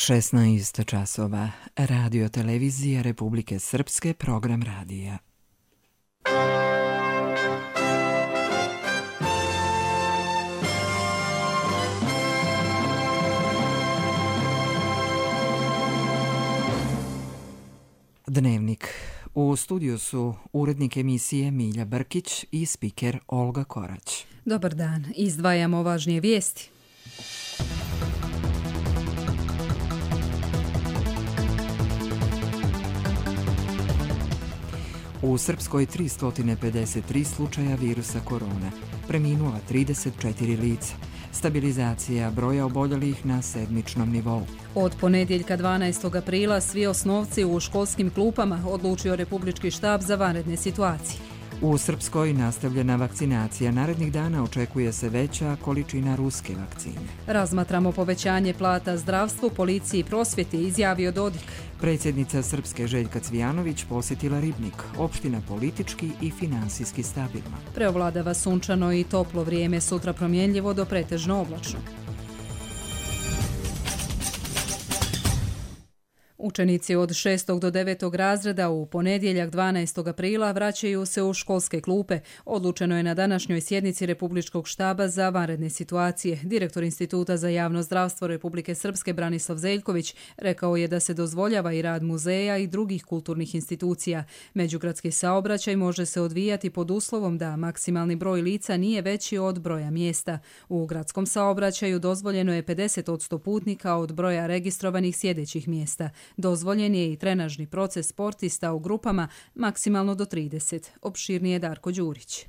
16 časova. Radio televizija Republike Srpske, program radija. Dnevnik. U studiju su urednik emisije Milja Brkić i spiker Olga Korać. Dobar dan. Izdvajamo važnije vijesti. U Srpskoj 353 slučaja virusa korona, preminula 34 lica. Stabilizacija broja oboljelih na sedmičnom nivou. Od ponedjeljka 12. aprila svi osnovci u školskim klupama odlučio Republički štab za vanredne situacije. U Srpskoj nastavljena vakcinacija. Narednih dana očekuje se veća količina ruske vakcine. Razmatramo povećanje plata zdravstvu, policiji i prosvjeti, izjavio Dodik. Predsjednica Srpske Željka Cvijanović posjetila Ribnik, opština politički i finansijski stabilna. Preovladava sunčano i toplo vrijeme, sutra promjenljivo do pretežno oblačno. Učenici od 6. do 9. razreda u ponedjeljak 12. aprila vraćaju se u školske klupe. Odlučeno je na današnjoj sjednici Republičkog štaba za vanredne situacije. Direktor Instituta za javno zdravstvo Republike Srpske Branislav Zeljković rekao je da se dozvoljava i rad muzeja i drugih kulturnih institucija. Međugradski saobraćaj može se odvijati pod uslovom da maksimalni broj lica nije veći od broja mjesta. U gradskom saobraćaju dozvoljeno je 50% putnika od broja registrovanih sjedećih mjesta. Dozvoljen je i trenažni proces sportista u grupama maksimalno do 30. Opširnije Darko Đurić.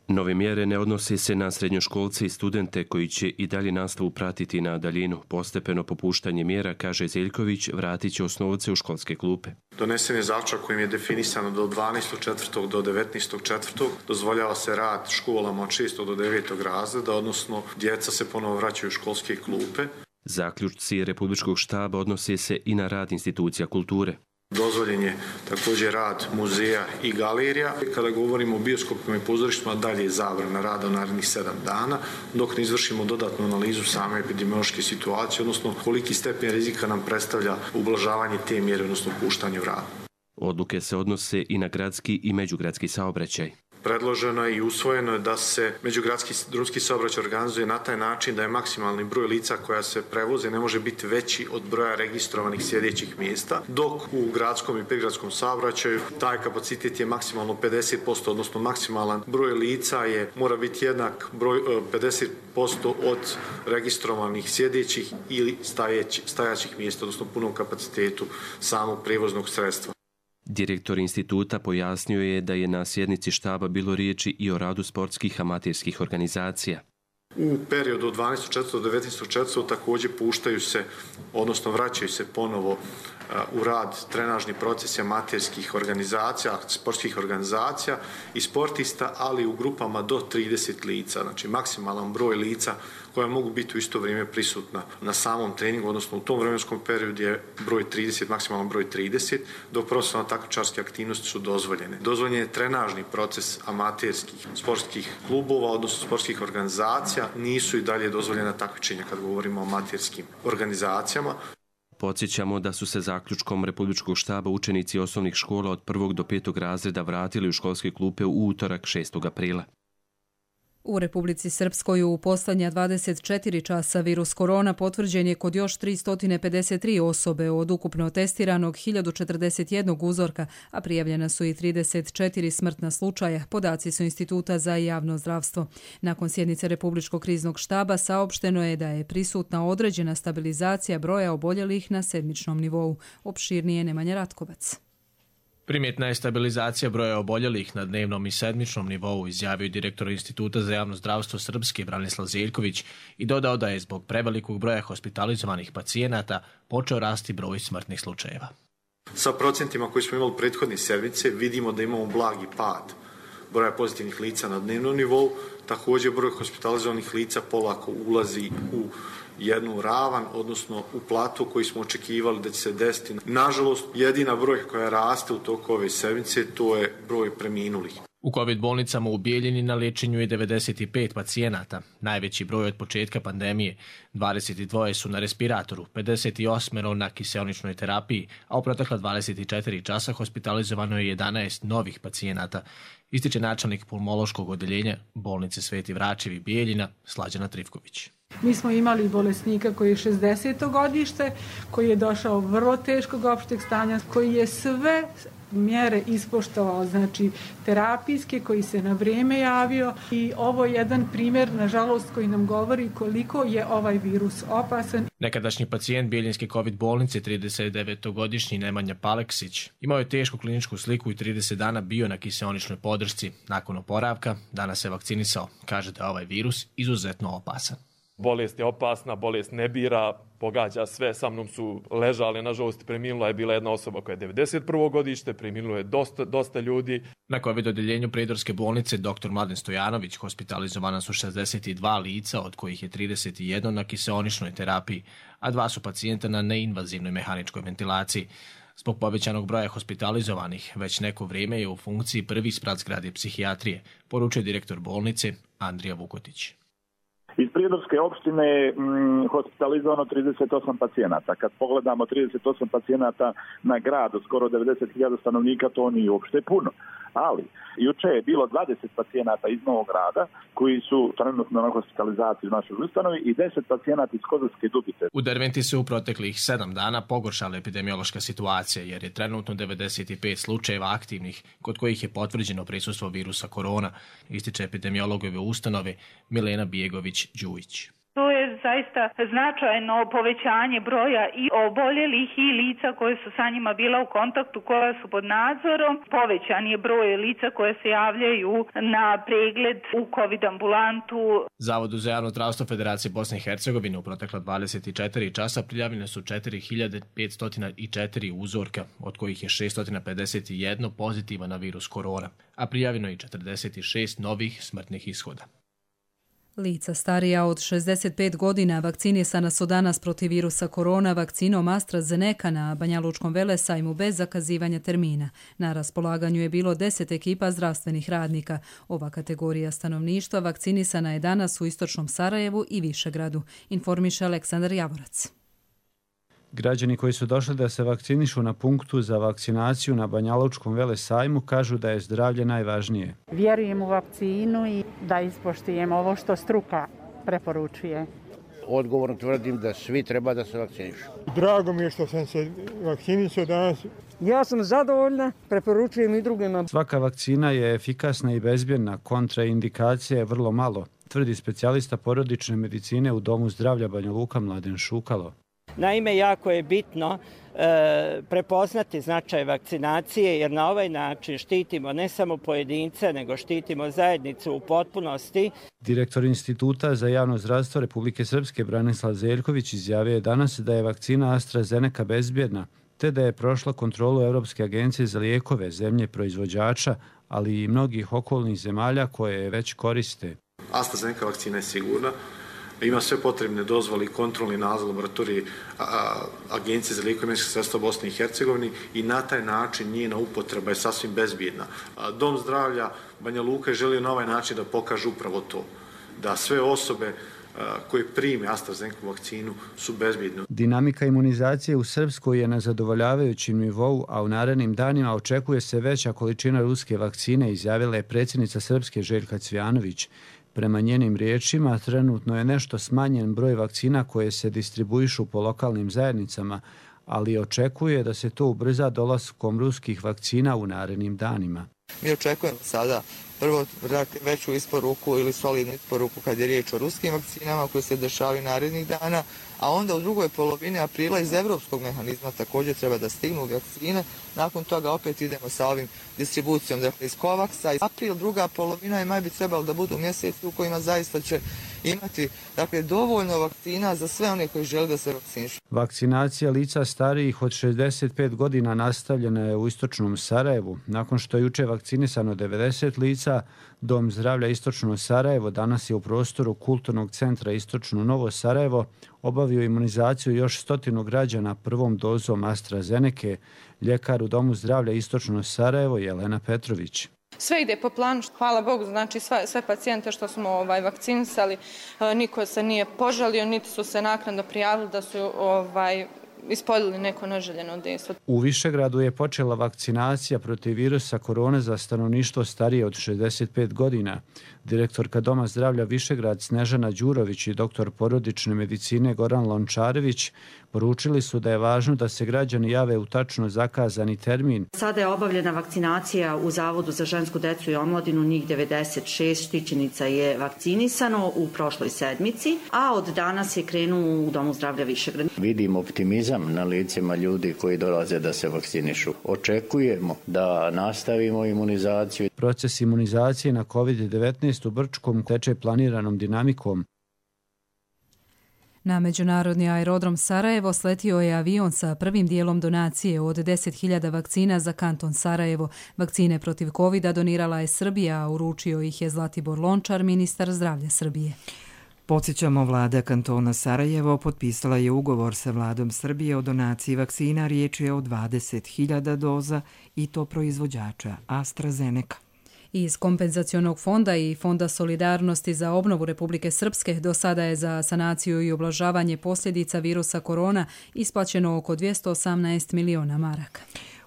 Nove mjere ne odnose se na srednjoškolce i studente koji će i dalje nastavu pratiti na daljinu. Postepeno popuštanje mjera, kaže Zeljković, vratit će osnovce u školske klupe. Donesen je zaključak kojim je definisano do 12.4. do 19.4. dozvoljava se rad školama od 6. do 9. razreda, odnosno djeca se ponovo vraćaju u školske klupe. Zaključci Republičkog štaba odnose se i na rad institucija kulture. Dozvoljen je također rad muzeja i galerija. Kada govorimo o bioskopima i pozorištima, dalje je zabrana rada u narednih 7 dana, dok ne izvršimo dodatnu analizu same epidemiološke situacije, odnosno koliki stepen rizika nam predstavlja ublažavanje te mjere, odnosno puštanje u rad. Odluke se odnose i na gradski i međugradski saobraćaj. Predloženo je i usvojeno je da se međugradski drumski saobraćaj organizuje na taj način da je maksimalni broj lica koja se prevoze ne može biti veći od broja registrovanih sjedećih mjesta, dok u gradskom i prigradskom saobraćaju taj kapacitet je maksimalno 50%, odnosno maksimalan broj lica mora biti jednak broj 50% od registrovanih sjedećih ili stajaćih mjesta, odnosno punom kapacitetu samog prijevoznog sredstva. Direktor instituta pojasnio je da je na sjednici štaba bilo riječi i o radu sportskih amaterskih organizacija. U periodu od 12.4. do 19.4. također puštaju se, odnosno vraćaju se ponovo u rad trenažni procesi amaterskih organizacija, sportskih organizacija i sportista, ali u grupama do 30 lica, znači maksimalan broj lica koja mogu biti u isto vrijeme prisutna na samom treningu, odnosno u tom vremenskom periodu je broj 30, maksimalan broj 30, dok profesionalno takmičarske aktivnosti su dozvoljene. Dozvoljen je trenažni proces amaterskih sportskih klubova, odnosno sportskih organizacija, nisu i dalje dozvoljena takmičenja kad govorimo o amaterskim organizacijama. Podsjećamo da su se zaključkom Republičkog štaba učenici osnovnih škola od 1. do 5. razreda vratili u školske klupe u utorak 6. aprila. U Republici Srpskoj u posljednja 24 časa virus korona potvrđen je kod još 353 osobe od ukupno testiranog 1041 uzorka, a prijavljena su i 34 smrtna slučaja, podaci su Instituta za javno zdravstvo. Nakon sjednice Republičkog kriznog štaba saopšteno je da je prisutna određena stabilizacija broja oboljelih na sedmičnom nivou. Opširnije Nemanja Ratkovac. Primjetna je stabilizacija broja oboljelih na dnevnom i sedmičnom nivou, izjavio direktor Instituta za javno zdravstvo Srpske Branislav Zeljković i dodao da je zbog prevelikog broja hospitalizovanih pacijenata počeo rasti broj smrtnih slučajeva. Sa procentima koji smo imali prethodne sedmice vidimo da imamo blagi pad broja pozitivnih lica na dnevnom nivou, također broj hospitalizovanih lica polako ulazi u jednu ravan, odnosno u platu koji smo očekivali da će se desiti. Nažalost, jedina broj koja raste u toku ove sedmice, to je broj preminulih. U COVID bolnicama u Bijeljini na liječenju je 95 pacijenata, najveći broj od početka pandemije. 22 su na respiratoru, 58 na kiseoničnoj terapiji, a u protekla 24 časa hospitalizovano je 11 novih pacijenata, ističe načelnik pulmološkog odeljenja bolnice Sveti Vračevi Bijeljina Slađana Trivković. Mi smo imali bolesnika koji je 60. godište, koji je došao vrlo teškog opšteg stanja, koji je sve mjere ispoštovao, znači terapijske, koji se na vrijeme javio i ovo je jedan primjer, nažalost, koji nam govori koliko je ovaj virus opasan. Nekadašnji pacijent Bijeljinske COVID bolnice, 39-godišnji Nemanja Paleksić, imao je tešku kliničku sliku i 30 dana bio na kiseoničnoj podršci. Nakon oporavka, danas se vakcinisao. Kaže da je ovaj virus izuzetno opasan. Bolest je opasna, bolest ne bira, pogađa sve. Sa mnom su ležali, nažalost preminula je bila jedna osoba koja je 91. godište, preminulo je dosta ljudi. Na COVID odeljenju Prijedorske bolnice dr. Mladen Stojanović hospitalizovana su 62 lica, od kojih je 31 na kiseoničnoj terapiji, a 2 su pacijenta na neinvazivnoj mehaničkoj ventilaciji. Zbog povećanog broja hospitalizovanih, već neko vrijeme je u funkciji prvi sprat zgrade psihijatrije, poručuje direktor bolnice Andrija Vukotić. Iz Prijedorske opštine je hospitalizovano 38 pacijenata. Kad pogledamo 38 pacijenata na grad od skoro 90.000 stanovnika, to nije uopšte puno. Ali, juče je bilo 20 pacijenata iz Novog Grada koji su trenutno na hospitalizaciji u našoj ustanovi i 10 pacijenata iz Kozarske Dubice. U Derventi se u proteklih 7 dana pogoršala epidemiološka situacija jer je trenutno 95 slučajeva aktivnih kod kojih je potvrđeno prisustvo virusa korona, ističe epidemiologove ustanove Milena Bijegović-Đujić. To je zaista značajno povećanje broja i oboljelih i lica koje su sa njima bila u kontaktu, koja su pod nadzorom. Povećan je broj lica koje se javljaju na pregled u COVID ambulantu. Zavodu za javno zdravstvo Federacije Bosne i Hercegovine u protekla 24 časa prijavljene su 4504 uzorka, od kojih je 651 pozitiva na virus korona, a prijavljeno je 46 novih smrtnih ishoda. Lica starija od 65 godina vakcinisana su danas protiv virusa korona vakcinom AstraZeneca na Banjalučkom velesajmu bez zakazivanja termina. Na raspolaganju je bilo 10 ekipa zdravstvenih radnika. Ova kategorija stanovništva vakcinisana je danas u istočnom Sarajevu i Višegradu, informiše Aleksandar Javorac. Građani koji su došli da se vakcinišu na punktu za vakcinaciju na Banjalučkom velesajmu kažu da je zdravlje najvažnije. Vjerujem u vakcinu i da ispoštujemo ovo što struka preporučuje. Odgovorno tvrdim da svi treba da se vakcinišu. Drago mi je što sam se vakcinisao danas. Ja sam zadovoljna, preporučujem i drugima. Svaka vakcina je efikasna i bezbjedna, kontraindikacija je vrlo malo, tvrdi specijalista porodične medicine u Domu zdravlja Banja Luka Mladen Šukalo. Naime, jako je bitno prepoznati značaj vakcinacije jer na ovaj način štitimo ne samo pojedince, nego štitimo zajednicu u potpunosti. Direktor Instituta za javno zdravstvo Republike Srpske Branislav Zeljković izjavio je danas da je vakcina AstraZeneca bezbjedna, te da je prošla kontrolu Europske agencije za lijekove, zemlje proizvođača, ali i mnogih okolnih zemalja koje je već koriste. AstraZeneca vakcina je sigurna. Ima sve potrebne dozvole i kontrolni nadzor laboratorije Agencije za lijekove i medicinska sredstva Bosne i Hercegovine i na taj način njena upotreba je sasvim bezbjedna. Dom zdravlja Banja Luka je želio na ovaj način da pokaže upravo to, da sve osobe koje prime AstraZeneca vakcinu su bezbjedne. Dinamika imunizacije u Srpskoj je na zadovoljavajućem nivou, a u narednim danima očekuje se veća količina ruske vakcine, izjavila je predsjednica Srpske Željka Cvijanović. Prema njenim riječima, trenutno je nešto smanjen broj vakcina koje se distribuišu po lokalnim zajednicama, ali očekuje da se to ubrza dolaskom ruskih vakcina u narednim danima. Mi očekujemo sada prvo veću isporuku ili solidnu isporuku kad je riječ o ruskim vakcinama koje se dešavaju narednih dana, a onda u drugoj polovini aprila iz evropskog mehanizma također treba da stignu vakcine. Nakon toga opet idemo sa ovim distribucijom, dakle iz Covaxa. April, druga polovina je maj bi trebalo da budu mjeseci u kojima zaista će imati dovoljno vakcina za sve one koji žele da se vakcinišu. Vakcinacija lica starijih od 65 godina nastavljena je u istočnom Sarajevu. Nakon što je juče vakcinisano 90 lica, Dom zdravlja Istočno Sarajevo danas je u prostoru Kulturnog centra Istočno Novo Sarajevo obavio imunizaciju još 100 građana prvom dozom AstraZeneca. Ljekar u Domu zdravlja Istočno Sarajevo Jelena Petrović. sve ide po planu. Hvala Bogu, znači sve pacijente što smo vakcinisali, niko se nije požalio, niti su se naknadno prijavili da su ispoljili neko neželjeno dejstvo. U Višegradu je počela vakcinacija protiv virusa korone za stanovništvo starije od 65 godina. Direktorka Doma zdravlja Višegrad Snežana Đurović i doktor porodične medicine Goran Lončarević poručili su da je važno da se građani jave u tačno zakazani termin. Sada je obavljena vakcinacija u Zavodu za žensku decu i omladinu, njih 96 štićenica je vakcinisano u prošloj sedmici, a od danas je krenuo u Domu zdravlja Višegrad. Vidim optimizam na licima ljudi koji dolaze da se vakcinišu. Očekujemo da nastavimo imunizaciju. Proces imunizacije na COVID-19 u Brčkom teče planiranom dinamikom. Na međunarodni aerodrom Sarajevo sletio je avion sa prvim dijelom donacije od 10.000 vakcina za kanton Sarajevo. Vakcine protiv COVID-a donirala je Srbija, a uručio ih je Zlatibor Lončar, ministar zdravlja Srbije. Podsjećamo, vlada kantona Sarajevo potpisala je ugovor sa vladom Srbije o donaciji vakcina. Riječ je o 20.000 doza i to proizvođača AstraZeneca. Iz kompenzacionog fonda i Fonda solidarnosti za obnovu Republike Srpske do sada je za sanaciju i ublažavanje posljedica virusa korona isplaćeno oko 218 miliona maraka.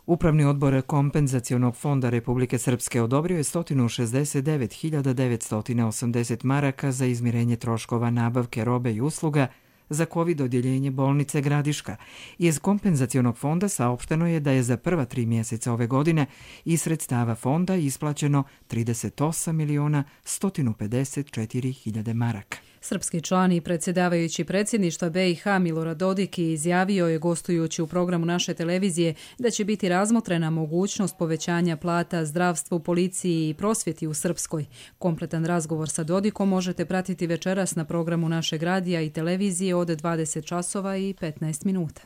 Upravni odbor kompenzacionog fonda Republike Srpske odobrio je 169.980 maraka za izmirenje troškova nabavke robe i usluga za COVID odjeljenje bolnice Gradiška. Iz kompenzacionog fonda saopšteno je da je za prva 3 mjeseca ove godine iz sredstava fonda isplaćeno 38.154.000 maraka. Srpski član i predsjedavajući predsjedništva BiH Milorad Dodik izjavio je gostujući u programu naše televizije da će biti razmotrena mogućnost povećanja plata zdravstvu, policiji i prosvjeti u Srpskoj. Kompletan razgovor sa Dodikom možete pratiti večeras na programu našeg radija i televizije od 20 časova i 15 minuta.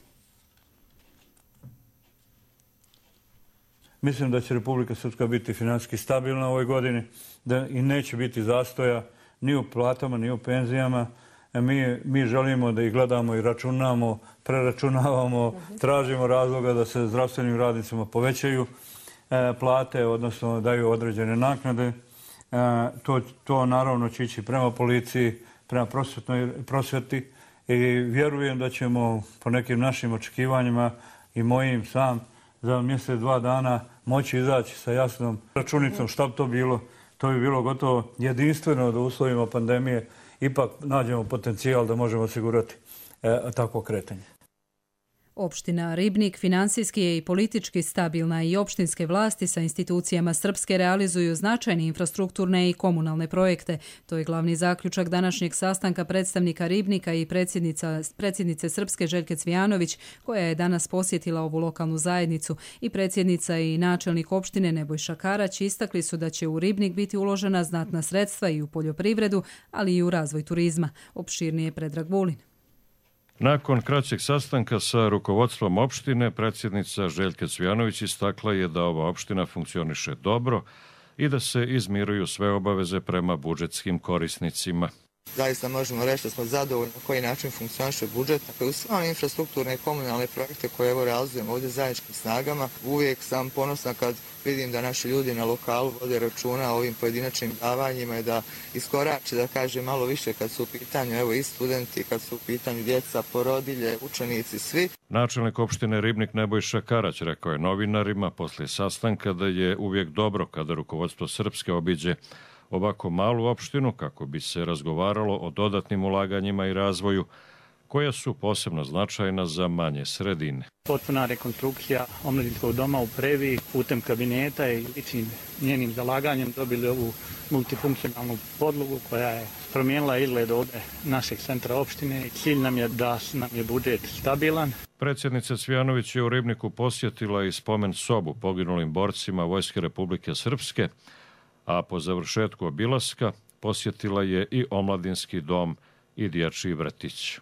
Mislim da će Republika Srpska biti financijski stabilna u ovoj godini i neće biti zastoja ni u platama, ni u penzijama. Mi želimo da ih gledamo i računamo, preračunavamo, tražimo razloga da se zdravstvenim radnicima povećaju plate, odnosno daju određene naknade. To naravno će ići prema policiji, prema prosvjeti i vjerujem da ćemo po nekim našim očekivanjima i mojim sam za mjesec, 2 dana moći izaći sa jasnom računicom šta bi to bilo. To bi bilo gotovo jedinstveno da u uslovima pandemije ipak nađemo potencijal da možemo osigurati takvo kretanje. Opština Ribnik finansijski je i politički stabilna i opštinske vlasti sa institucijama Srpske realizuju značajne infrastrukturne i komunalne projekte. To je glavni zaključak današnjeg sastanka predstavnika Ribnika i predsjednice Srpske Željke Cvijanović, koja je danas posjetila ovu lokalnu zajednicu, i predsjednica i načelnik opštine Nebojša Karać istakli su da će u Ribnik biti uložena znatna sredstva i u poljoprivredu, ali i u razvoj turizma. Opširnije Predrag Vulin. Nakon kraćeg sastanka sa rukovodstvom opštine, predsjednica Željka Cvijanović istakla je da ova opština funkcioniše dobro i da se izmiruju sve obaveze prema budžetskim korisnicima. Zaista možemo reći da smo zadovoljni na koji način funkcioniše budžet. Dakle, u sve infrastrukturne i komunalne projekte koje realizujemo ovdje zajedničkim snagama, uvijek sam ponosna kad vidim da naši ljudi na lokalu vode računa o ovim pojedinačnim davanjima i da iskorače, da kaže malo više kad su u pitanju i studenti, kad su u pitanju djeca, porodilje, učenici, svi. Načelnik opštine Ribnik Nebojša Karać rekao je novinarima poslije sastanka da je uvijek dobro kada rukovodstvo Srpske obiđe ovako malu opštinu kako bi se razgovaralo o dodatnim ulaganjima i razvoju koja su posebno značajna za manje sredine. Potpuna rekonstrukcija omladinskog doma u Previ putem kabineta i ličnim njenim zalaganjem dobili ovu multifunkcionalnu podlogu koja je promijenila izgled ovdje našeg centra opštine. Cilj nam je da nam je budžet stabilan. Predsjednica Cvijanović je u Ribniku posjetila i spomen sobu poginulim borcima Vojske Republike Srpske, a po završetku obilaska posjetila je i omladinski dom i dječji vrtić.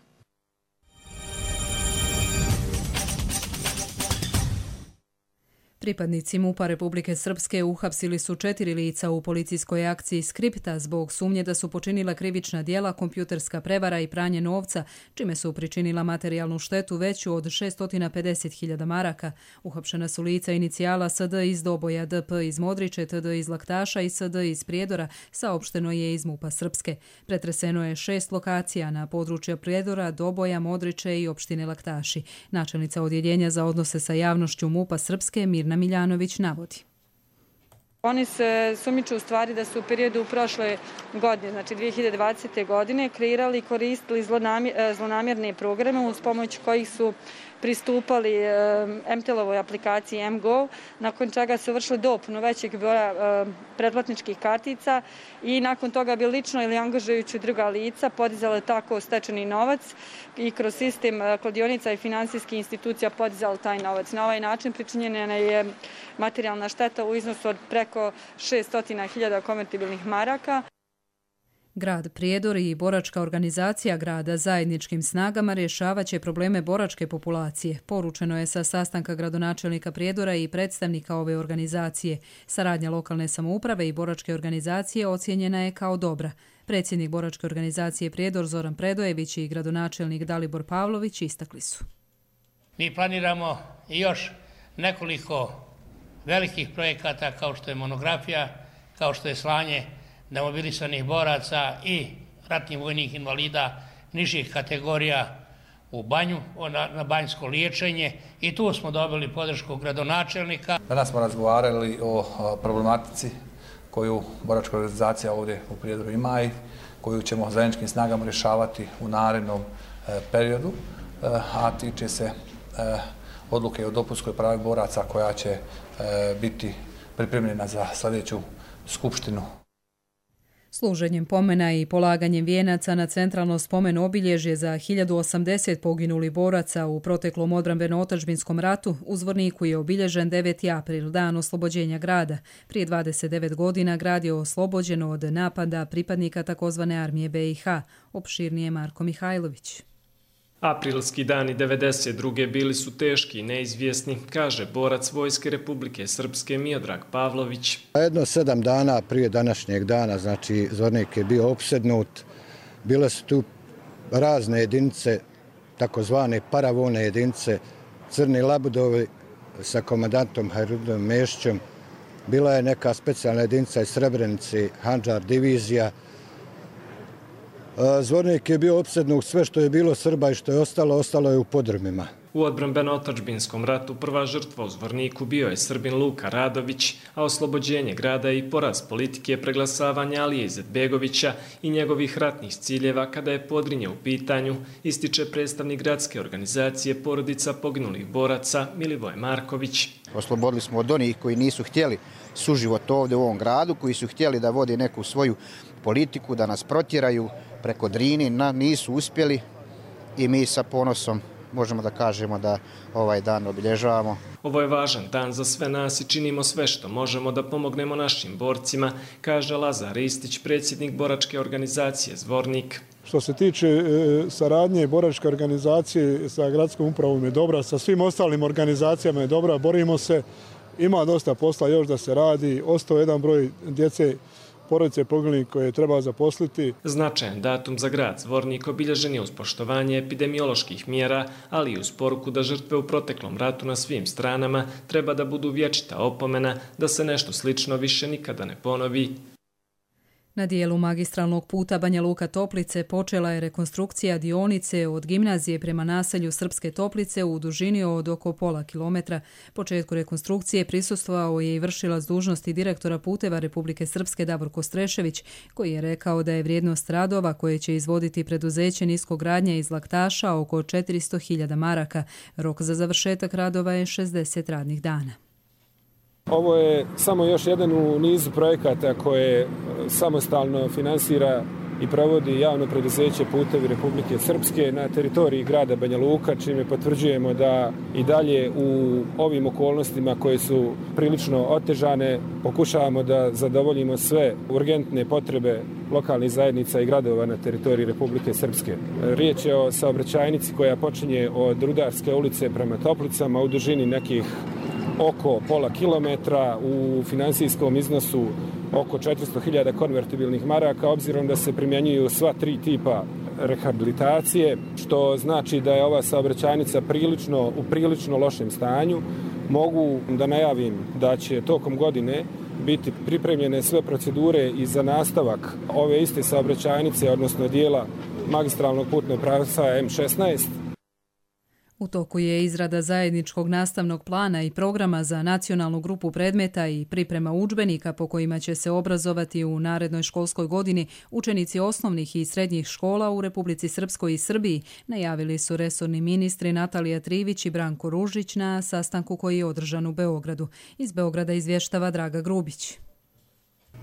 Pripadnici MUP-a Republike Srpske uhapsili su 4 lica u policijskoj akciji Skripta zbog sumnje da su počinila krivična djela, kompjuterska prevara i pranje novca, čime su pričinila materijalnu štetu veću od 650.000 maraka. Uhapšena su lica inicijala SD iz Doboja, DP iz Modriče, TD iz Laktaša i SD iz Prijedora, saopšteno je iz MUP-a Srpske. Pretreseno je 6 lokacija na području Prijedora, Doboja, Modriče i opštine Laktaši. Načelnica odjeljenja za odnose sa javnošću MUP-a Srpske Mirna Miljanović navodi. Oni se sumnjiče u stvari da su u periodu prošle godine, znači 2020. godine, kreirali i koristili zlonamjerne programe uz pomoć kojih su pristupali MTEL-ovoj aplikaciji mGo, nakon čega su vršili dopunu većeg broja pretplatničkih kartica i nakon toga bi lično ili angažujući druga lica podizale tako stečeni novac i kroz sistem kladionica i finansijskih institucija podizali taj novac. Na ovaj način pričinjena je materijalna šteta u iznosu od preko 600.000 konvertibilnih maraka. Grad Prijedor i boračka organizacija grada zajedničkim snagama rješavat će probleme boračke populacije. Poručeno je sa sastanka gradonačelnika Prijedora i predstavnika ove organizacije. Saradnja lokalne samouprave i boračke organizacije ocijenjena je kao dobra. Predsjednik boračke organizacije Prijedor Zoran Predojević i gradonačelnik Dalibor Pavlović istakli su. Mi planiramo još nekoliko velikih projekata kao što je monografija, kao što je slanje demobilisanih boraca i ratnih vojnih invalida nižih kategorija u banju, na banjsko liječenje i tu smo dobili podršku gradonačelnika. Danas smo razgovarali o problematici koju boračka organizacija ovdje u Prijedoru ima i koju ćemo zajedničkim snagama rješavati u narednom periodu, a tiče se odluke o dopunskoj pravi boraca koja će biti pripremljena za sljedeću skupštinu. Služenjem pomena i polaganjem vijenaca na centralno spomen obilježje za 1080 poginulih boraca u proteklom odbrambeno-otadžbinskom ratu u Zvorniku je obilježen 9. april, dan oslobođenja grada. Prije 29 godina grad je oslobođen od napada pripadnika takozvane armije BiH. Opširnije Marko Mihajlović. Aprilski dani 92. bili su teški i neizvjesni, kaže borac Vojske Republike Srpske Miodrag Pavlović. Jedno 7 dana prije današnjeg dana, znači Zvornik je bio opsednut. Bile su tu razne jedinice, takozvane paravojne jedinice, Crni Labudovi sa komandantom Hajrudom Mešćom. Bila je neka specijalna jedinica iz Srebrenice, Handžar divizija. Zvornik je bio opsednut, sve što je bilo Srba i što je ostalo je u podrumima. U odbrambeno-otadžbinskom ratu prva žrtva u Zvorniku bio je Srbin Luka Radović, a oslobođenje grada i poraz politike preglasavanja Alije Izetbegovića i njegovih ratnih ciljeva kada je Podrinje u pitanju, ističe predstavnik gradske organizacije porodica poginulih boraca Milivoj Marković. Oslobodili smo od onih koji nisu htjeli suživot ovdje u ovom gradu, koji su htjeli da vode neku svoju politiku, da nas protjeraju preko Drini, nisu uspjeli i mi sa ponosom možemo da kažemo da ovaj dan obilježavamo. Ovo je važan dan za sve nas i činimo sve što možemo da pomognemo našim borcima, kaže Lazar Ristić, predsjednik boračke organizacije Zvornik. Što se tiče saradnje boračke organizacije sa gradskom upravom je dobra, sa svim ostalim organizacijama je dobra, borimo se, ima dosta posla još da se radi, ostao jedan broj djece porodice poginulih koje treba zaposliti. Značajan datum za grad Zvornik obilježen je uz poštovanje epidemioloških mjera, ali i uz poruku da žrtve u proteklom ratu na svim stranama treba da budu vječita opomena da se nešto slično više nikada ne ponovi. Na dijelu magistralnog puta Banja Luka Toplice počela je rekonstrukcija dionice od gimnazije prema naselju Srpske Toplice u dužini od oko pola kilometra. Početku rekonstrukcije prisustvovao je i vršilac dužnosti direktora puteva Republike Srpske Davorko Strešević, koji je rekao da je vrijednost radova koje će izvoditi preduzeće niskogradnja iz Laktaša oko 400.000 maraka. Rok za završetak radova je 60 radnih dana. Ovo je samo još jedan u nizu projekata koje samostalno finansira i provodi javno preduzeće Putevi Republike Srpske na teritoriji grada Banja Luka, čime potvrđujemo da i dalje u ovim okolnostima koje su prilično otežane pokušavamo da zadovoljimo sve urgentne potrebe lokalnih zajednica i gradova na teritoriji Republike Srpske. Riječ je o saobraćajnici koja počinje od Rudarske ulice prema Toplicama u dužini nekih oko pola kilometra u finansijskom iznosu oko 400.000 konvertibilnih maraka, obzirom da se primjenjuju sva 3 tipa rehabilitacije, što znači da je ova saobraćajnica u prilično lošem stanju. Mogu da najavim da će tokom godine biti pripremljene sve procedure i za nastavak ove iste saobraćajnice, odnosno dijela magistralnog putnog pravca M16. U toku je izrada zajedničkog nastavnog plana i programa za nacionalnu grupu predmeta i priprema udžbenika po kojima će se obrazovati u narednoj školskoj godini učenici osnovnih i srednjih škola u Republici Srpskoj i Srbiji, najavili su resorni ministri Natalija Trivić i Branko Ružić na sastanku koji je održan u Beogradu. Iz Beograda izvještava Draga Grubić.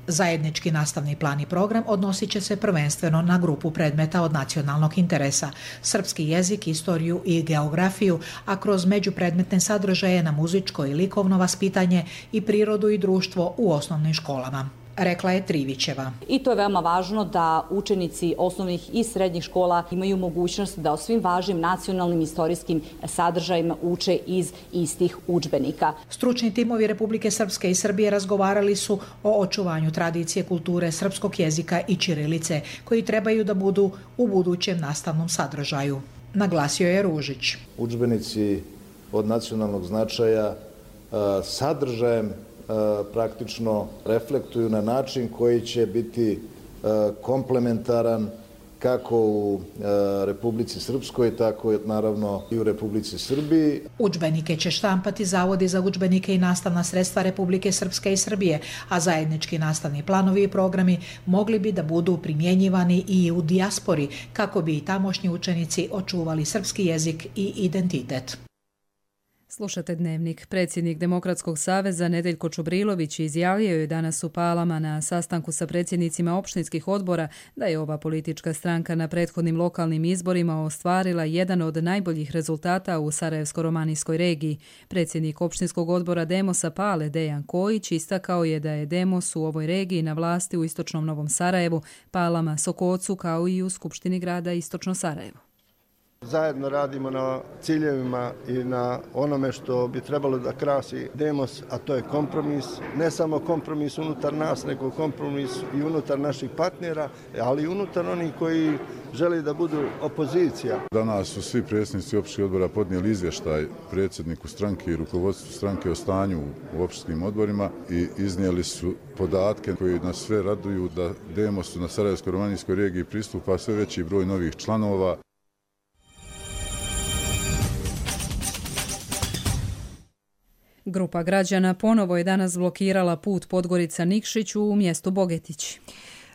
Zajednički nastavni plan i program odnosit će se prvenstveno na grupu predmeta od nacionalnog interesa, srpski jezik, istoriju i geografiju, a kroz međupredmetne sadržaje na muzičko i likovno vaspitanje i prirodu i društvo u osnovnim školama. Rekla je Trivićeva. I to je veoma važno da učenici osnovnih i srednjih škola imaju mogućnost da o svim važnim nacionalnim istorijskim sadržajima uče iz istih udžbenika. Stručni timovi Republike Srpske i Srbije razgovarali su o očuvanju tradicije, kulture, srpskog jezika i ćirilice, koji trebaju da budu u budućem nastavnom sadržaju. Naglasio je Ružić. Udžbenici od nacionalnog značaja sadržajem praktično reflektuju na način koji će biti komplementaran kako u Republici Srpskoj, tako naravno i u Republici Srbiji. Udžbenike će štampati zavodi za udžbenike i nastavna sredstva Republike Srpske i Srbije, a zajednički nastavni planovi i programi mogli bi da budu primjenjivani i u dijaspori, kako bi i tamošnji učenici očuvali srpski jezik i identitet. Slušate Dnevnik. Predsjednik Demokratskog saveza Nedeljko Čubrilović izjavio je danas u Palama na sastanku sa predsjednicima opštinskih odbora da je ova politička stranka na prethodnim lokalnim izborima ostvarila jedan od najboljih rezultata u Sarajevsko-romanijskoj regiji. Predsjednik opštinskog odbora Demosa Pale Dejan Kojić istakao je da je Demos u ovoj regiji na vlasti u istočnom Novom Sarajevu, Palama, Sokocu kao i u Skupštini grada Istočno Sarajevo. Zajedno radimo na ciljevima i na onome što bi trebalo da krasi Demos, a to je kompromis. Ne samo kompromis unutar nas, nego kompromis i unutar naših partnera, ali i unutar onih koji žele da budu opozicija. Danas su svi predsjednici opštinskih odbora podnijeli izvještaj predsjedniku stranke i rukovodstvu stranke o stanju u opštinskim odborima i iznijeli su podatke koji nas sve raduju da Demosu na Sarajevsko-romanijskoj regiji pristupa sve veći broj novih članova. Grupa građana ponovo je danas blokirala put Podgorica-Nikšić u mjestu Bogetić.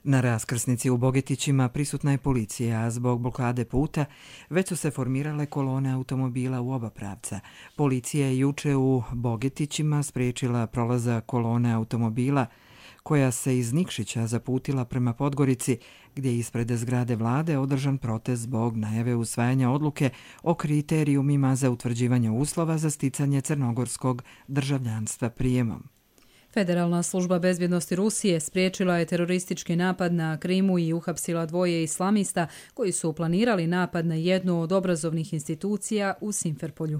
Na raskrsnici u Bogetićima prisutna je policija, a zbog blokade puta već su se formirale kolone automobila u oba pravca. Policija je juče u Bogetićima spriječila prolazak kolone automobila koja se iz Nikšića zaputila prema Podgorici, gdje je ispred zgrade vlade održan protest zbog najave usvajanja odluke o kriterijumima za utvrđivanje uslova za sticanje crnogorskog državljanstva prijemom. Federalna služba bezbjednosti Rusije spriječila je teroristički napad na Krimu i uhapsila 2 islamista koji su planirali napad na jednu od obrazovnih institucija u Simferpolju.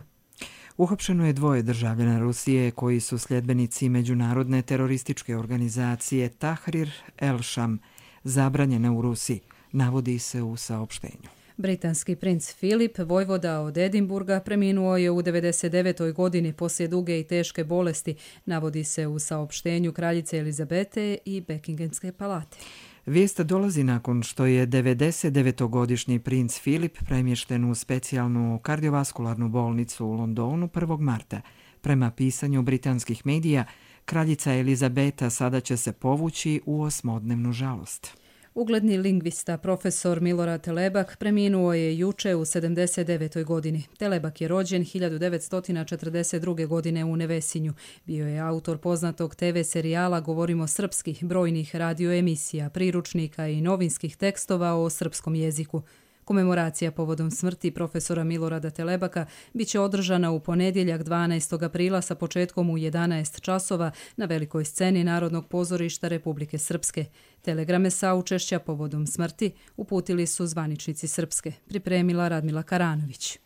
Uhapšeno je 2 državljana Rusije koji su sljedbenici međunarodne terorističke organizacije Tahrir el-Sham, zabranjene u Rusiji, navodi se u saopštenju. Britanski princ Filip, vojvoda od Edinburga, preminuo je u 99. godini poslije duge i teške bolesti, navodi se u saopštenju kraljice Elizabete i Buckinghamske palate. Vijest dolazi nakon što je 99-godišnji princ Filip premješten u specijalnu kardiovaskularnu bolnicu u Londonu 1. marta. Prema pisanju britanskih medija, kraljica Elizabeta sada će se povući u 8-dnevnu žalost. Ugledni lingvista profesor Milorad Telebak preminuo je juče u 79. godini. Telebak je rođen 1942. godine u Nevesinju. Bio je autor poznatog TV serijala Govorimo srpski, brojnih radioemisija, priručnika i novinskih tekstova o srpskom jeziku. Komemoracija povodom smrti profesora Milorada Telebaka biće održana u ponedjeljak 12. aprila sa početkom u 11 časova na velikoj sceni Narodnog pozorišta Republike Srpske. Telegrame saučešća povodom smrti uputili su zvaničnici Srpske, pripremila Radmila Karanović.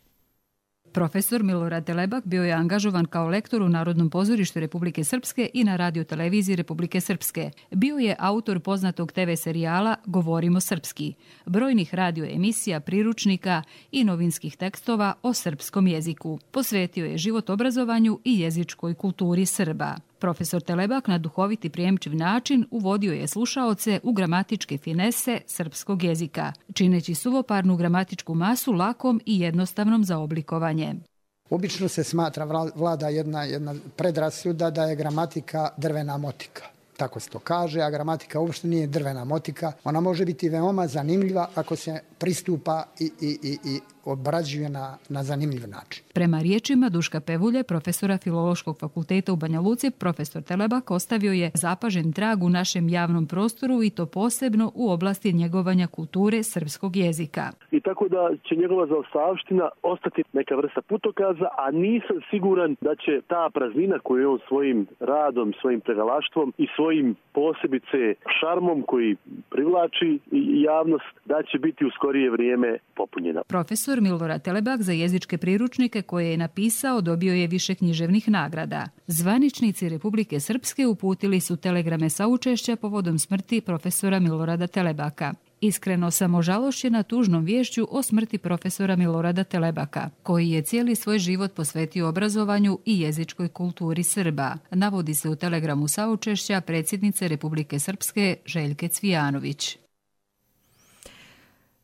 Profesor Milorad Telebak bio je angažovan kao lektor u Narodnom pozorištu Republike Srpske i na radioteleviziji Republike Srpske. Bio je autor poznatog TV serijala Govorimo srpski, brojnih radioemisija, priručnika i novinskih tekstova o srpskom jeziku. Posvetio je život obrazovanju i jezičkoj kulturi Srba. Profesor Telebak na duhoviti prijemčiv način uvodio je slušaoce u gramatičke finese srpskog jezika, čineći suvoparnu gramatičku masu lakom i jednostavnom za oblikovanje. Obično se smatra, vlada jedna predrasuda da je gramatika drvena motika. Tako se to kaže, a gramatika uopšte nije drvena motika. Ona može biti veoma zanimljiva ako se pristupa i obrađuje na zanimljiv način. Prema riječima Duška Pevulje, profesora Filološkog fakulteta u Banja Luci, profesor Telebak ostavio je zapažen trag u našem javnom prostoru i to posebno u oblasti njegovanja kulture srpskog jezika. I tako da će njegova zaostavština ostati neka vrsta putokaza, a nisam siguran da će ta praznina koju je on svojim radom, svojim pregalaštvom i svojim posebice šarmom koji privlači javnost, da će biti u skorije vrijeme popunjena. Profesor Milorad Telebak za jezičke priručnike koje je napisao dobio je više književnih nagrada. Zvaničnici Republike Srpske uputili su telegrame saučešća povodom smrti profesora Milorada Telebaka. Iskreno sam ožalošćena tužnom viješću o smrti profesora Milorada Telebaka, koji je cijeli svoj život posvetio obrazovanju i jezičkoj kulturi Srba, navodi se u telegramu saučešća predsjednice Republike Srpske Željke Cvijanović.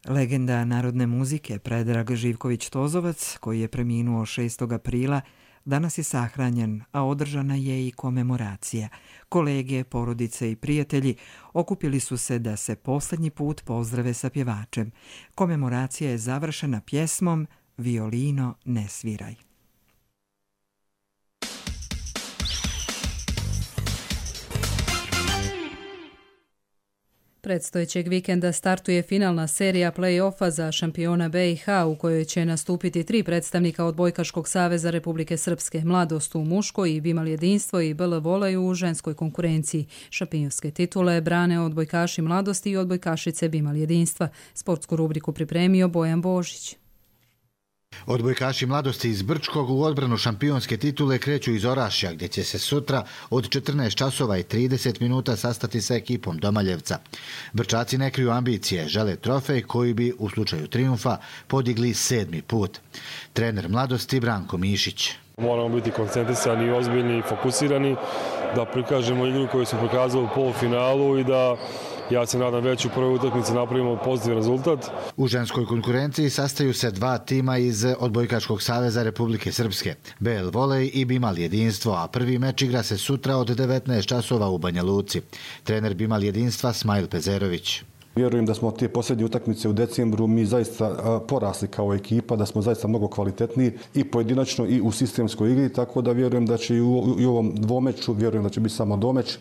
Legenda narodne muzike Predrag Živković-Tozovac, koji je preminuo 6. aprila, danas je sahranjen, a održana je i komemoracija. Kolege, porodice i prijatelji okupili su se da se posljednji put pozdrave sa pjevačem. Komemoracija je završena pjesmom Violino ne sviraj. Predstojećeg vikenda startuje finalna serija play-offa za šampiona BiH u kojoj će nastupiti 3 predstavnika Odbojkaškog saveza Republike Srpske, Mladost u muškoj i Bimal jedinstvo i BL Volej u ženskoj konkurenciji. Šampionske titule brane odbojkaši Mladosti i odbojkašice Bimal jedinstva. Sportsku rubriku pripremio Bojan Božić. Odbojkaši Mladosti iz Brčkog u odbranu šampionske titule kreću iz Orašja, gdje će se sutra od 14 časova i 30 minuta sastati sa ekipom Domaljevca. Brčaci ne kriju ambicije, žele trofej koji bi u slučaju trijumfa podigli 7. put. Trener Mladosti Branko Mišić. Moramo biti koncentrisani i ozbiljni i fokusirani, da prikažemo igru koju smo prikazali u polufinalu i da, ja se nadam, već u prvoj utakmici napravimo pozitivan rezultat. U ženskoj konkurenciji sastaju se 2 tima iz Odbojkaškog saveza Republike Srpske, BL Volej i Bimal jedinstvo, a prvi meč igra se sutra od 19 časova u Banja Luci. Trener Bimal jedinstva Smajl Pezerović. Vjerujem da smo te posljednje utakmice u decembru mi zaista porasli kao ekipa, da smo zaista mnogo kvalitetniji i pojedinačno i u sistemskoj igri, tako da vjerujem da će i u ovom dvomeču, vjerujem da će biti samo domeč.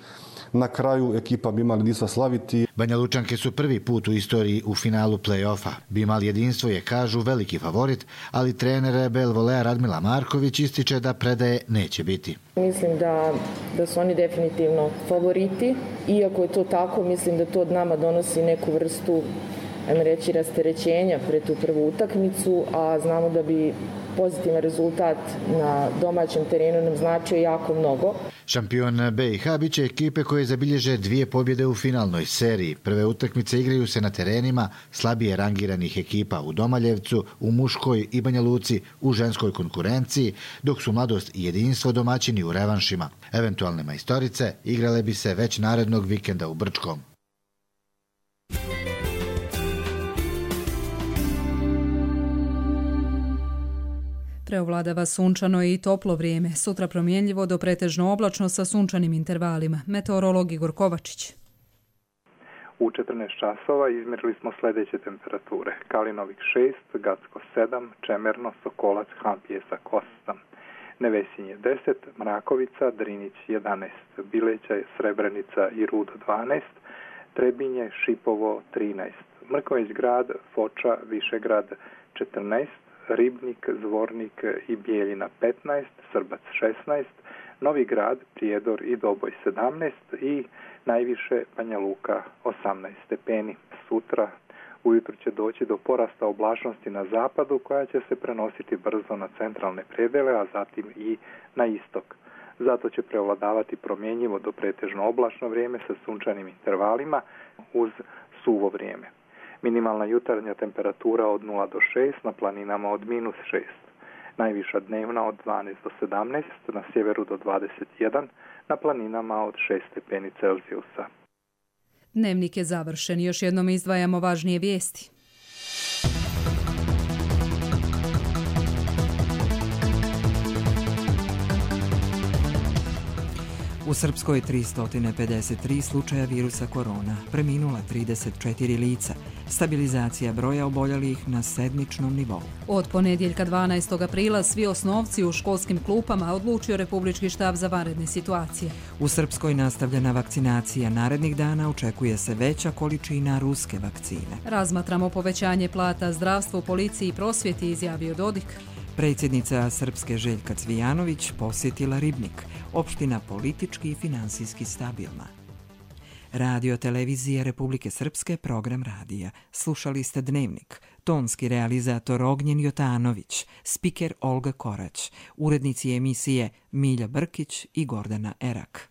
Na kraju ekipa Bimal jedinstva slaviti. Banja Lučanke su prvi put u istoriji u finalu play-offa. Bimal jedinstvo je, kažu, veliki favorit, ali trener BL Voleja Radmila Marković ističe da predaje neće biti. Mislim da su oni definitivno favoriti. Iako je to tako, mislim da to od nama donosi neku vrstu, ajmo reći, rasterećenja pred tu prvu utakmicu, a znamo da bi pozitivan rezultat na domaćem terenu nam značio jako mnogo. Šampion BiH biće ekipe koje zabilježe 2 pobjede u finalnoj seriji. Prve utakmice igraju se na terenima slabije rangiranih ekipa u Domaljevcu, u muškoj i Banja Luci u ženskoj konkurenciji, dok su Mladost i jedinstvo domaćini u revanšima. Eventualne majstorice igrale bi se već narednog vikenda u Brčkom. Preovladava sunčano i toplo vrijeme. Sutra promjenljivo do pretežno oblačno sa sunčanim intervalima. Meteorolog Igor Kovačić. U 14 časova izmjerili smo sljedeće temperature. Kalinovik 6, Gacko 7, Čemerno, Sokolac, Hampjesak 8, Nevesinje 10, Mrakovica, Drinić 11, Bileća, Srebrenica i Rudo 12, Trebinje, Šipovo 13, Mrkonjić grad, Foča, Višegrad 14, Ribnik, Zvornik i Bijeljina 15, Srbac 16, Novi grad, Prijedor i Doboj 17 i najviše Banja Luka 18 stepeni. Sutra Ujutro će doći do porasta oblačnosti na zapadu koja će se prenositi brzo na centralne predele, a zatim i na istok. Zato će prevladavati promjenjivo do pretežno oblačno vrijeme sa sunčanim intervalima uz suvo vrijeme. Minimalna jutarnja temperatura od 0 do 6, na planinama od -6. Najviša dnevna od 12 do 17, na sjeveru do 21, na planinama od 6 stepeni Celzijusa. Dnevnik je završen. Još jednom izdvajamo važnije vijesti. U Srpskoj 353 slučaja virusa korona, preminula 34 lica, stabilizacija broja oboljelih na sedmičnom nivou. Od ponedjeljka 12. aprila svi osnovci u školskim klupama odlučio Republički štab za vanredne situacije. U Srpskoj nastavljena vakcinacija, narednih dana očekuje se veća količina ruske vakcine. Razmatramo povećanje plata zdravstvu, policiji i prosvjeti, izjavio Dodik. Predsjednica Srpske Željka Cvijanović posjetila Ribnik, opština politički i finansijski stabilna. Radio televizije Republike Srpske, program radija. Slušali ste Dnevnik, tonski realizator Ognjen Jotanović, spiker Olga Korać, urednici emisije Milja Brkić i Gordana Erak.